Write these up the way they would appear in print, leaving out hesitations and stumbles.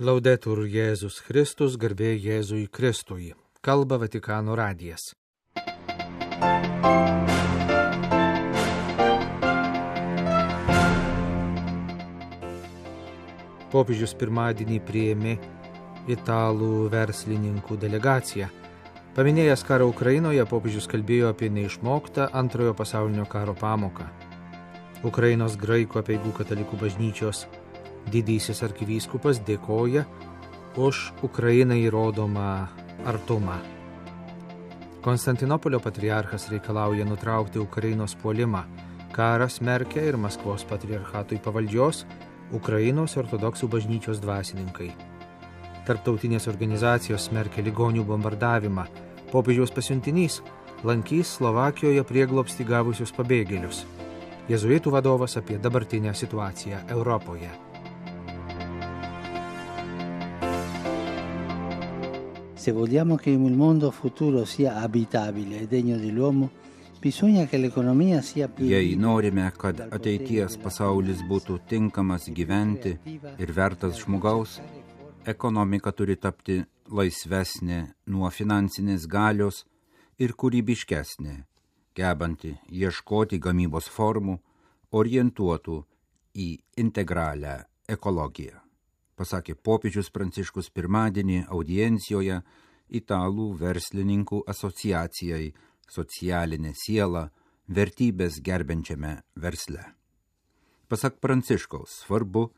Laudetur Jėzus Kristus, garbė Jėzui Kristui. Kalba Vatikano radijas. Popiežius pirmadienį priėmė italų verslininkų delegaciją. Paminėjęs karą Ukrainoje, popiežius kalbėjo apie neišmoktą antrojo pasaulinio karo pamoką. Ukrainos graikų apeigų katalikų bažnyčios didysis arkivyskupas dėkoja už Ukrainai rodomą artumą. Konstantinopolio patriarchas reikalauja nutraukti Ukrainos puolimą. Karą smerkia ir Maskvos patriarchatui pavaldžios Ukrainos ortodoksų bažnyčios dvasininkai. Tarptautinės organizacijos smerkia ligonių bombardavimą. Popiežiaus pasiuntinys lankys Slovakijoje prieglobstį gavusius pabėgėlius. Jėzuitų vadovas apie dabartinę situaciją Europoje. Se vogliamo che il mondo futuro sia abitabile e degno dell'uomo, bisogna che l'economia sia più. Jei norime, kad ateities pasaulis būtų tinkamas gyventi ir vertas žmogaus, ekonomika turi tapti laisvesnė nuo finansinės galios ir kūrybiškesnė, gebanti ieškoti gamybos formų, orientuotų į integralią ekologiją, pasakė popiežius Pranciškus pirmadienį audiencijoje Italų verslininkų asociacijai Socialinė siela vertybės gerbiančiame versle. Pasak Pranciškaus, svarbu,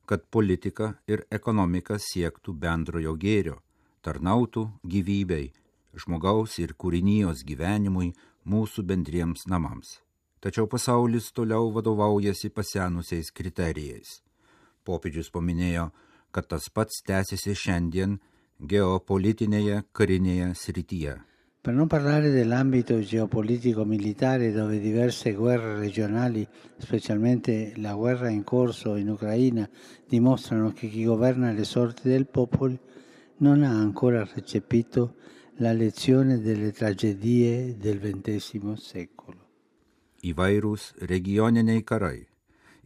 kad politika ir ekonomika siektų bendrojo gėrio, tarnautų gyvybei, žmogaus ir kūrinijos gyvenimui, mūsų bendriems namams. Tačiau pasaulis toliau vadovaujasi pasenusiais kriterijais. Popiežius paminėjo, kad tas pats tęsiasi šiandien geopolitinėje karinėje srityje. Per non parlare dell'ambito geopolitico-militare dove diverse guerre regionali, specialmente la guerra in corso in Ucraina, dimostrano che chi governa le sorti del popolo non ha ancora recepito la lezione delle tragedie del XX secolo. Įvairūs regioniniai karai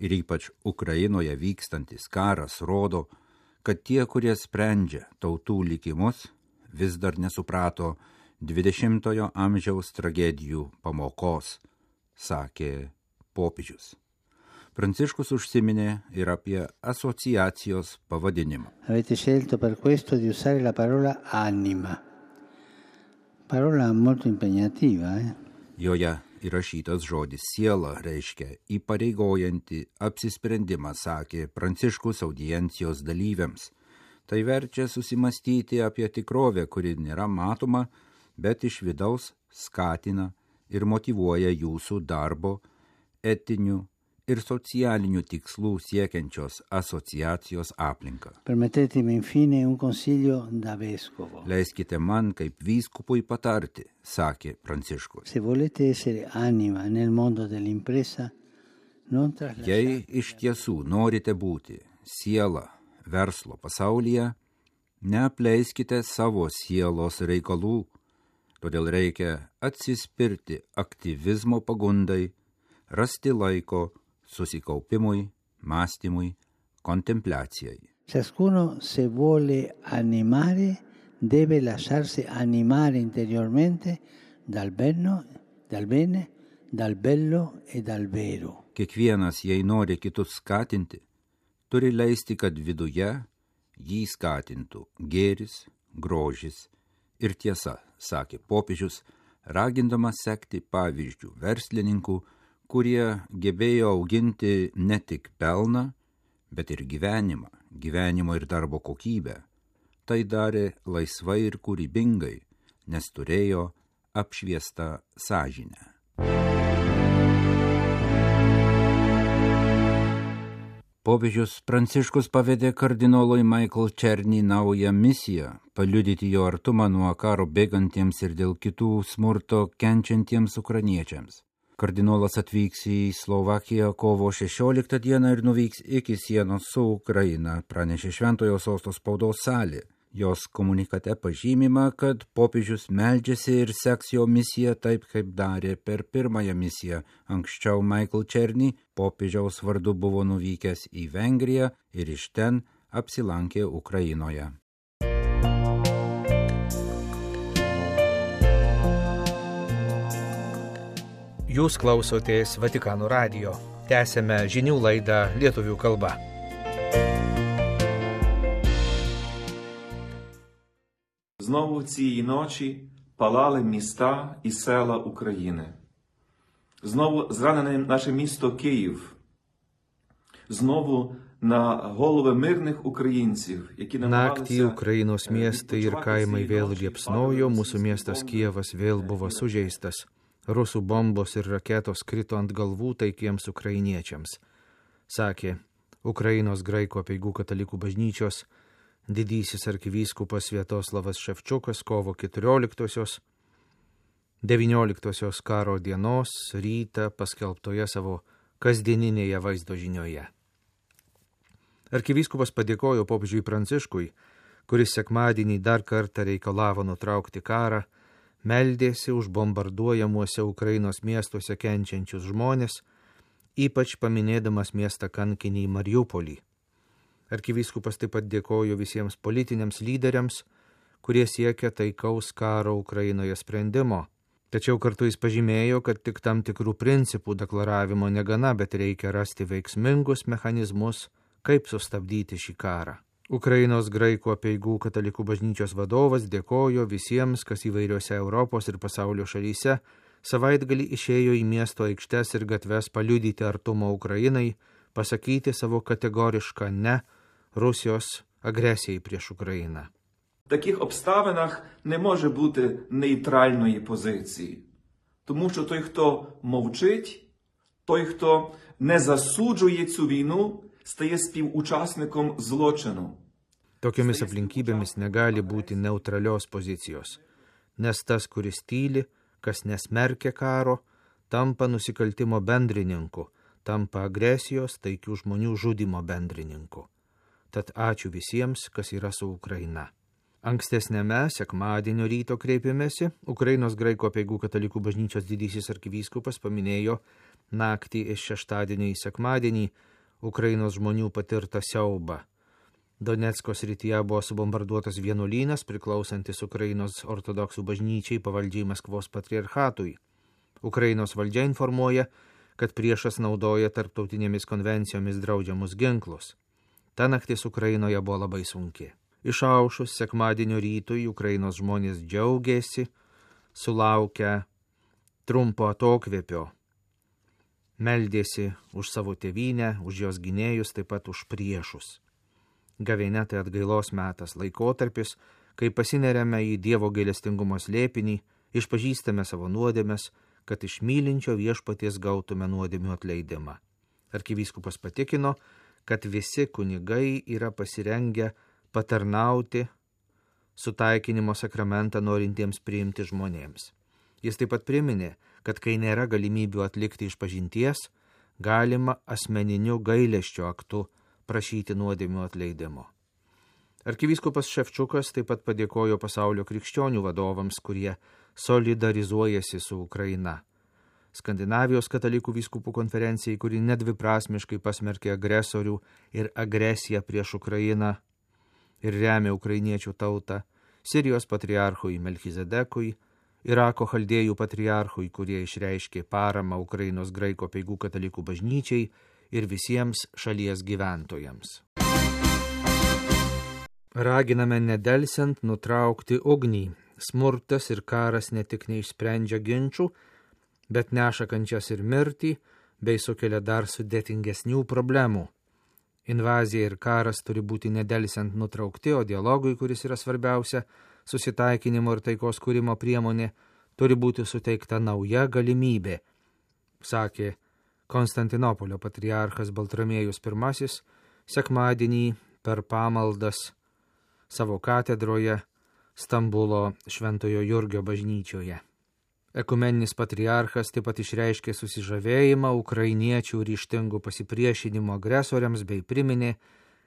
ir ypač Ukrainoje vykstantis karas rodo, kad tie, kurie sprendžia tautų likimus, vis dar nesuprato 20-ojo amžiaus tragedijų pamokos, sakė popiežius. Pranciškus užsiminė ir apie asociacijos pavadinimą. Avete scelto per questo di usare la parola anima. Parola molto impegnativa, Joje įrašytas žodis siela reiškia įpareigojantį apsisprendimą, sakė Pranciškus audiencijos dalyviams. Tai verčia susimastyti apie tikrovę, kuri nėra matoma, bet iš vidaus skatina ir motyvuoja jūsų darbo, etinių ir socialinių tikslų siekiančios asociacijos aplinką. Permettetemi infine un consiglio da vescovo. Leiskite man kaip vyskupui patarti, sakė Pranciškus. Se volete essere anima nel mondo dell'impresa, non traslasciate. Jei iš tiesų norite būti siela verslo pasaulyje, neapleiskite savo sielos reikalų, todėl reikia atsispirti aktyvizmo pagundai, rasti laiko susikaupimui, mąstymui, kontempliacijai. Ciascuno, se vuole animare, deve lasciarsi animare interiormente dal bene, dal bello e dal vero. Kiekvienas, jei nori kitus skatinti, turi leisti, kad viduje jį skatintų gėris, grožis ir tiesa, sakė popiežius, ragindamas sekti pavyzdžių verslininkų, kurie gebėjo auginti ne tik pelną, bet ir gyvenimo ir darbo kokybę. Tai darė laisvai ir kūrybingai, nes turėjo apšviestą sąžinę. Popiežius Pranciškus pavedė kardinolui Michael Černį naują misiją – paliudyti jo artumą nuo karo bėgantiems ir dėl kitų smurto kenčiantiems ukrainiečiams. Kardinolas atvyks į Slovakiją kovo 16 dieną ir nuvyks iki sienos su Ukraina, pranešė Šventojo Sosto spaudos salė. Jos komunikate pažymima, kad popiežius meldžiasi ir seks jo misiją taip, kaip darė per pirmąją misiją. Anksčiau Michael Černį popiežiaus vardu buvo nuvykęs į Vengriją ir iš ten apsilankė Ukrainoje. Jūs klausotės Vatikano radijo. Tęsėme žinių laidą lietuvių kalba. Знову цієї ночі палали міста і села України. Знову зранене наше місто Київ. Знову на голови мирних українців, які намагалися... Naktį Ukrainos miestai ir kaimai vėl liepsnojo, mūsų miestas Kijevas vėl buvo sužeistas. Rusų bombos ir raketos krito ant galvų taikiems ukrainiečiams, sakė Ukrainos graikų apeigų katalikų bažnyčios didysis arkivyskupas Sviatoslavas Ševčiukas kovo 14-osios, 19-osios karo dienos rytą paskelbtoje savo kasdieninėje vaizdo žinioje. Arkivyskupas padėkojo popiežiui Pranciškui, kuris sekmadienį dar kartą reikalavo nutraukti karą, meldėsi už bombarduojamuose Ukrainos miestuose kenčiančius žmonės, ypač paminėdamas miestą kankinį Mariupolį. Arkivyskupas taip pat dėkojo visiems politiniams lyderiams, kurie siekia taikaus karo Ukrainoje sprendimo. Tačiau kartu jis pažymėjo, kad tik tam tikrų principų deklaravimo negana, bet reikia rasti veiksmingus mechanizmus, kaip sustabdyti šį karą. Ukrainos graikų apeigų katalikų bažnyčios vadovas dėkojo visiems, kas įvairiose Europos ir pasaulio šalyse savaitgalį išėjo į miesto aikštes ir gatves paliudyti artumą Ukrainai, pasakyti savo kategorišką ne Rusijos agresijai prieš Україну. В таких обставинах не може бути нейтральної позиції. Тому що той, хто мовчить, той, хто не засуджує цю війну, стає співучасником злочину. Tokiomis aplinkybėmis negali būti neutralios pozicijos, nes tas, kuris tyli, kas nesmerkia karo, tampa nusikaltimo bendrininku, tampa agresijos, taikių žmonių žudymo bendrininku. Tad ačiū visiems, kas yra su Ukraina. Ankstesnėme sekmadienio ryto kreipimėsi Ukrainos graikų apeigų katalikų bažnyčios didysis arkivyskupas paminėjo naktį iš šeštadienio į sekmadienį Ukrainos žmonių patirtą siaubą. Donecko srityje buvo subombarduotas vienuolynas priklausantis Ukrainos ortodoksų bažnyčiai pavaldžiai Maskvos patriarchatui. Ukrainos valdžia informuoja, kad priešas naudoja tarptautinėmis konvencijomis draudžiamus ginklus. Ta naktis Ukrainoje buvo labai sunki. Išaušus sekmadienio rytui Ukrainos žmonės džiaugėsi, sulaukę trumpo atokvėpio. Meldėsi už savo tėvynę, už jos gynėjus, taip pat už priešus. Gavėnia tai atgailos metas, laikotarpis, kai pasineriame į Dievo gailestingumo slėpinį, išpažįstame savo nuodėmes, kad iš mylinčio viešpaties gautume nuodėmių atleidimą. Arkivyskupas patikino, kad visi kunigai yra pasirengę patarnauti sutaikinimo sakramentą norintiems priimti žmonėms. Jis taip pat priminė, kad kai nėra galimybių atlikti išpažinties, galima asmeniniu gailesčio aktu prašyti nuodėmių atleidimo. Arkivyskupas Ševčiukas taip pat padėkojo pasaulio krikščionių vadovams, kurie solidarizuojasi su Ukraina. Skandinavijos katalikų vyskupų konferencijai, kuri nedviprasmiškai pasmerkė agresorių ir agresiją prieš Ukrainą ir remia ukrainiečių tautą, Sirijos patriarchui Melchizedekui, Irako chaldėjų patriarchui, kurie išreiškė paramą Ukrainos graikų apeigų katalikų bažnyčiai ir visiems šalies gyventojams. Raginame nedelsiant nutraukti ugnį. Smurtas ir karas ne tik neišsprendžia ginčių, bet neša kančias ir mirtį, bei sukelia dar sudėtingesnių problemų. Invazija ir karas turi būti nedelsiant nutraukti, o dialogui, kuris yra svarbiausia, susitaikinimo ir taikos kūrimo priemonė, turi būti suteikta nauja galimybė, sakė Konstantinopolio patriarchas Baltramiejus I sekmadienį per pamaldas savo katedroje Stambulo Šventojo Jurgio bažnyčioje. Ekumeninis patriarchas taip pat išreiškė susižavėjimą ukrainiečių ryžtingų pasipriešinimo agresoriams bei priminė,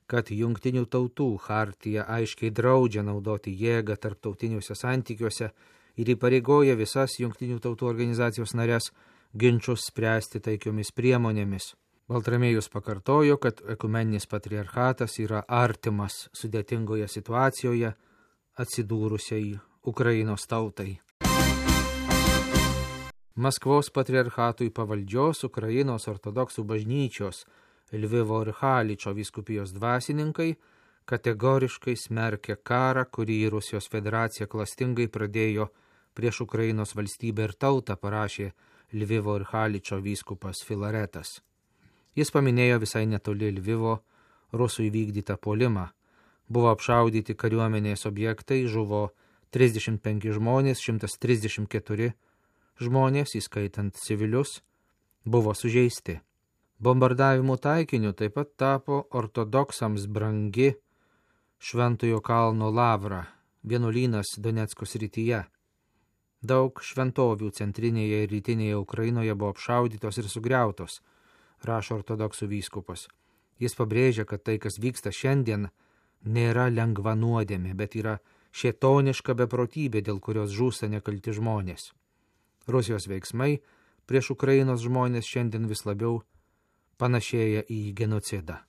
kad Jungtinių tautų chartija aiškiai draudžia naudoti jėgą tarptautiniuose santykiuose ir įpareigoja visas Jungtinių tautų organizacijos narės ginčus spręsti taikiomis priemonėmis. Baltramiejus pakartojo, kad ekumeninis patriarchatas yra artimas sudėtingoje situacijoje atsidūrusiai Ukrainos tautai. Maskvos patriarchatui pavaldžios Ukrainos ortodoksų bažnyčios Lvivo ir Haličo vyskupijos dvasininkai kategoriškai smerkia karą, kurį Rusijos federacija klastingai pradėjo prieš Ukrainos valstybę ir tautą, parašė Lvivo ir Haličo vyskupas Filaretas. Jis paminėjo visai netoli Lvivo rusų įvykdytą puolimą. Buvo apšaudyti kariuomenės objektai, žuvo 35 žmonės, 134 žmonės, įskaitant civilius, buvo sužeisti. Bombardavimų taikiniu taip pat tapo ortodoksams brangi Šventojo kalno lavra, vienuolynas Donecko srityje. Daug šventovių centrinėje ir rytinėje Ukrainoje buvo apšaudytos ir sugriautos, rašo ortodoksų vyskupas. Jis pabrėžia, kad tai, kas vyksta šiandien, nėra lengva nuodėmė, bet yra šėtoniška beprotybė, dėl kurios žūsta nekalti žmonės. Rusijos veiksmai prieš Ukrainos žmonės šiandien vis labiau panašėja į genocidą.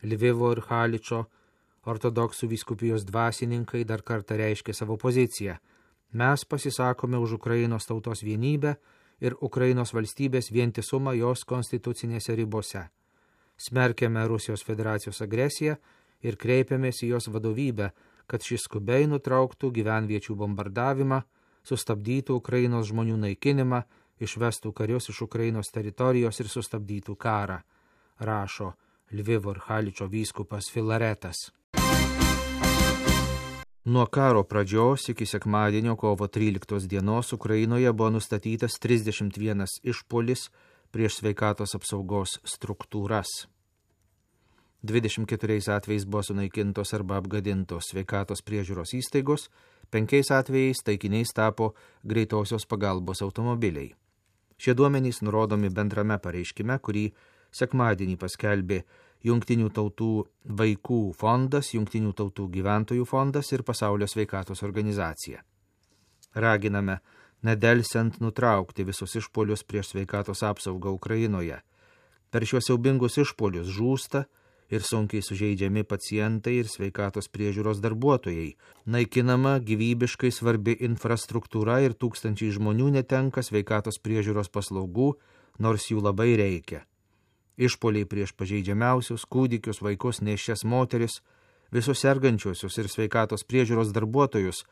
Lvivo ir Haličo ortodoksų vyskupijos dvasininkai dar kartą reiškė savo poziciją. Mes pasisakome už Ukrainos tautos vienybę ir Ukrainos valstybės vientisumą jos konstitucinėse ribose. Smerkiame Rusijos federacijos agresiją ir kreipiamės į jos vadovybę, kad šis skubiai nutrauktų gyvenviečių bombardavimą, sustabdytų Ukrainos žmonių naikinimą, išvestų karius iš Ukrainos teritorijos ir sustabdytų karą, rašo Lvivo ir Haličo vyskupas Filaretas. Nuo karo pradžios iki sekmadienio kovo 13 dienos Ukrainoje buvo nustatytas 31 išpuolis prieš sveikatos apsaugos struktūras. 24 atvejais buvo sunaikintos arba apgadintos sveikatos priežiūros įstaigos, 5 atvejais taikiniais tapo greitosios pagalbos automobiliai. Šie duomenys nurodomi bendrame pareiškime, kurį sekmadienį paskelbė Jungtinių tautų vaikų fondas, Jungtinių tautų gyventojų fondas ir Pasaulio sveikatos organizacija. Raginame nedelsiant nutraukti visus išpuolius prieš sveikatos apsaugą Ukrainoje. Per šiuos siaubingus išpuolius žūsta ir sunkiai sužeidžiami pacientai ir sveikatos priežiūros darbuotojai. Naikinama gyvybiškai svarbi infrastruktūra ir tūkstančiai žmonių netenka sveikatos priežiūros paslaugų, nors jų labai reikia. Išpuoliai prieš pažeidžiamiausius, kūdikius, vaikus, nėščias moteris, visus sergančiuosius ir sveikatos priežiūros darbuotojus,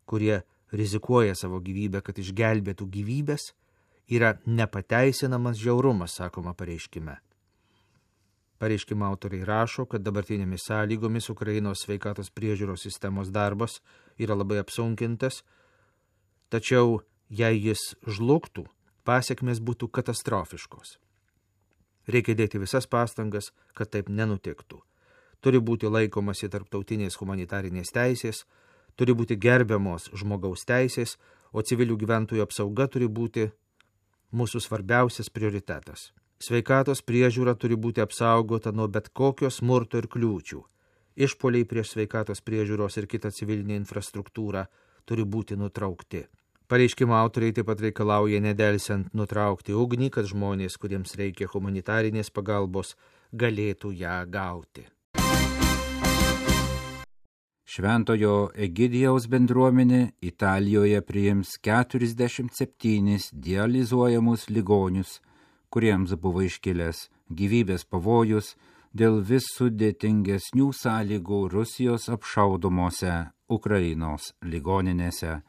kurie rizikuoja savo gyvybę, kad išgelbėtų gyvybės, yra nepateisinamas žiaurumas, sakoma pareiškime. Pareiškimo autoriai rašo, kad dabartinėmis sąlygomis Ukrainos sveikatos priežiūros sistemos darbas yra labai apsunkintas, tačiau jei jis žlugtų, pasekmės būtų katastrofiškos. Reikia dėti visas pastangas, kad taip nenutiktų. Turi būti laikomasi tarptautinės humanitarinės teisės, turi būti gerbiamos žmogaus teisės, o civilių gyventojų apsauga turi būti mūsų svarbiausias prioritetas. Sveikatos priežiūra turi būti apsaugota nuo bet kokio smurto ir kliūčių. Išpuoliai prieš sveikatos priežiūros ir kitą civilinę infrastruktūrą turi būti nutraukti. Pareiškimo autoriai taip pat reikalauja nedelsiant nutraukti ugnį, kad žmonės, kuriems reikia humanitarinės pagalbos, galėtų ją gauti. Šventojo Egidijaus bendruomenė Italijoje priims 47 dializuojamus ligonius, kuriems buvo iškilęs gyvybės pavojus dėl vis sudėtingesnių sąlygų Rusijos apšaudomose Ukrainos ligoninėse.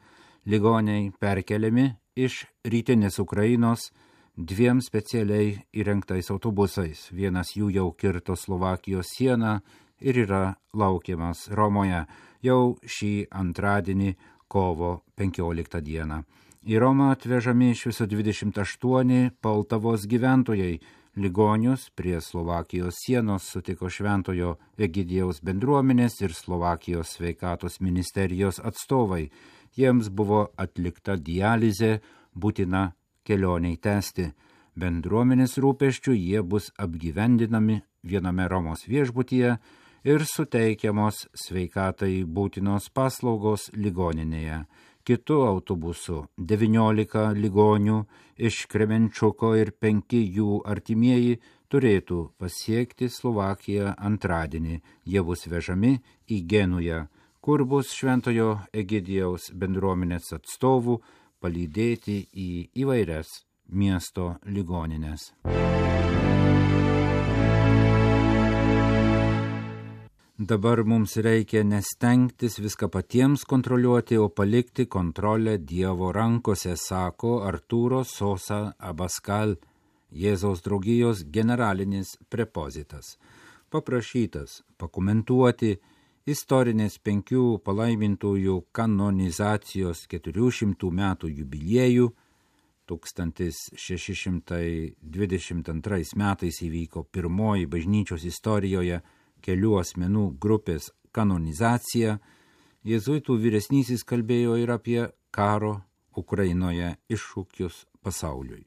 Ligoniai perkeliami iš rytinės Ukrainos 2 specialiai įrengtais autobusais. Vienas jų jau kirto Slovakijos sieną ir yra laukiamas Romoje jau šį antradienį kovo 15 dieną. Į Romą atvežami iš viso 28 Poltavos gyventojai. Ligonius prie Slovakijos sienos sutiko Šventojo Egidijaus bendruomenės ir Slovakijos sveikatos ministerijos atstovai. Jiems buvo atlikta dializė, būtina kelioniai tęsti. Bendruomenės rūpesčių jie bus apgyvendinami viename Romos viešbutyje ir suteikiamos sveikatai būtinos paslaugos ligoninėje. kitu autobusu 19 ligonių iš Kremenčuko ir 5 jų artimieji turėtų pasiekti Slovakiją antradienį. Jie bus vežami į Genują, kur bus Šventojo Egidijaus bendruomenės atstovų palydėti į įvairias miesto ligonines. Dabar mums reikia nestengtis viską patiems kontroliuoti, o palikti kontrolę Dievo rankose, sako Arturo Sosa Abascal, Jėzaus draugijos generalinis prepozitas, paprašytas pakomentuoti istorinės 5 palaimintųjų kanonizacijos 400 metų jubiliejų. 1622 metais įvyko pirmoji bažnyčios istorijoje kelių asmenų grupės kanonizacija. Jėzuitų vyresnysis kalbėjo ir apie karo Ukrainoje iššūkius pasauliui.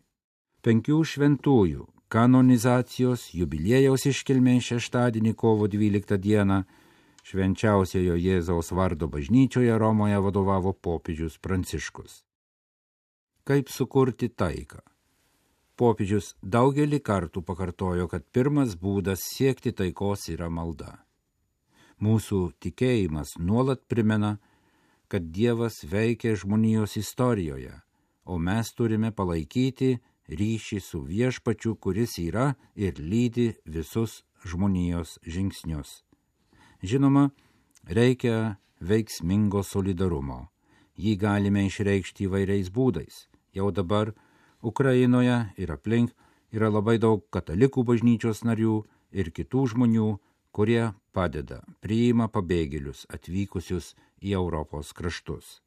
5 šventųjų kanonizacijos jubiliejaus iškilmė šeštadienį kovo 12 dieną Švenčiausiojo Jėzaus vardo bažnyčioje Romoje vadovavo popiežius Pranciškus. Kaip sukurti taiką? Popiežius daugelį kartų pakartojo, kad pirmas būdas siekti taikos yra malda. Mūsų tikėjimas nuolat primena, kad Dievas veikia žmonijos istorijoje, o mes turime palaikyti ryšį su Viešpačiu, kuris yra ir lydi visus žmonijos žingsnius. Žinoma, reikia veiksmingo solidarumo. Jį galime išreikšti įvairiais būdais. Jau dabar Ukrainoje ir aplink yra labai daug katalikų bažnyčios narių ir kitų žmonių, kurie padeda, priima pabėgėlius atvykusius į Europos kraštus.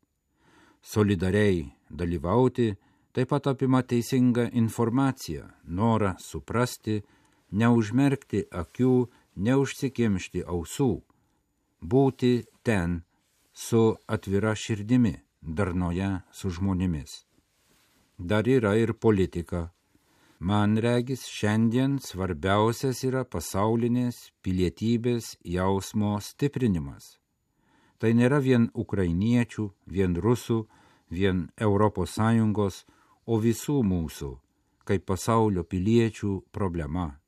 Solidariai dalyvauti taip pat apima teisingą informaciją, norą suprasti, neužmerkti akių, neužsikimšti ausų, būti ten su atvira širdimi, darnoje su žmonėmis. Dar yra ir politika. Man regis, šiandien svarbiausias yra pasaulinės pilietybės jausmo stiprinimas. Tai nėra vien ukrainiečių, vien rusų, vien ES, o visų mūsų, kaip pasaulio piliečių problema.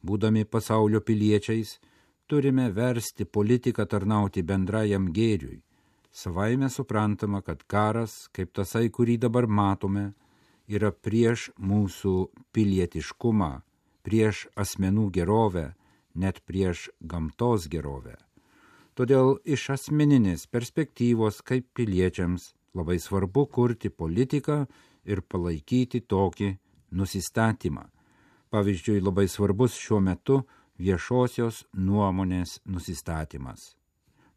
Būdami pasaulio piliečiais, turime versti politiką tarnauti bendrajam gėriui. Savaime suprantama, kad karas, kaip tasai, kurį dabar matome, yra prieš mūsų pilietiškumą, prieš asmenų gerovę, net prieš gamtos gerovę. Todėl iš asmeninės perspektyvos kaip piliečiams labai svarbu kurti politiką ir palaikyti tokį nusistatymą. Pavyzdžiui, labai svarbus šiuo metu viešosios nuomonės nusistatymas.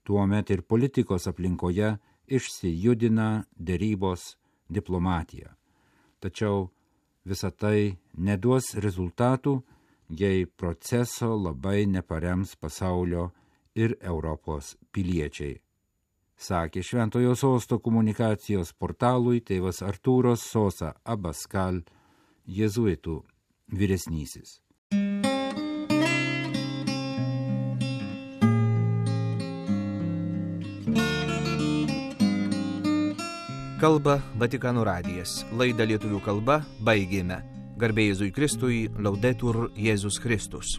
Tuomet ir politikos aplinkoje išsijudina derybos, diplomatija. Tačiau visa tai neduos rezultatų, jei proceso labai neparems pasaulio ir Europos piliečiai. Sakė Šventojo Sosto komunikacijos portalui tėvas Artūras Sosa Abascal, jėzuitų vyresnysis. Kalba Vatikano radijas. Laidą lietuvių kalba baigėme. Garbė Jėzui Kristui, Laudetur Jėzus Kristus.